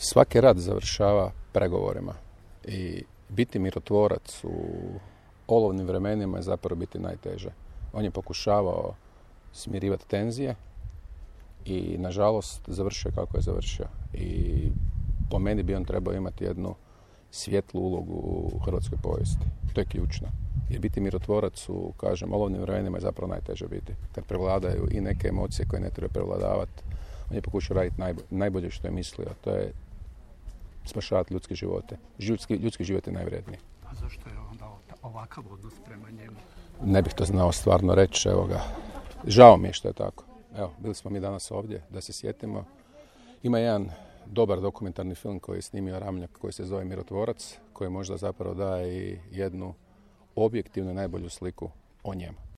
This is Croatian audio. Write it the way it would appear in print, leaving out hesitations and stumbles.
Svaki rat završava pregovorima i biti mirotvorac u olovnim vremenima je zapravo biti najteže. On je pokušavao smirivati tenzije i nažalost završio kako je završio. I po meni bi on trebao imati jednu svjetlu ulogu u hrvatskoj povijesti. To je ključno. Jer biti mirotvorac u, kažem, olovnim vremenima je zapravo najteže biti. Kad prevladaju i neke emocije koje ne treba prevladavati, on je pokušao raditi najbolje što je mislio. To je spašavati ljudske živote. Ljudski život je najvredniji. A zašto je onda ovakav odnos prema njemu? Ne bih to znao stvarno reći, evo ga. Žao mi je što je tako. Evo, bili smo mi danas ovdje, da se sjetimo. Ima jedan dobar dokumentarni film koji je snimio Ramljak, koji se zove Mirotvorac, koji možda zapravo daje i jednu objektivnu najbolju sliku o njemu.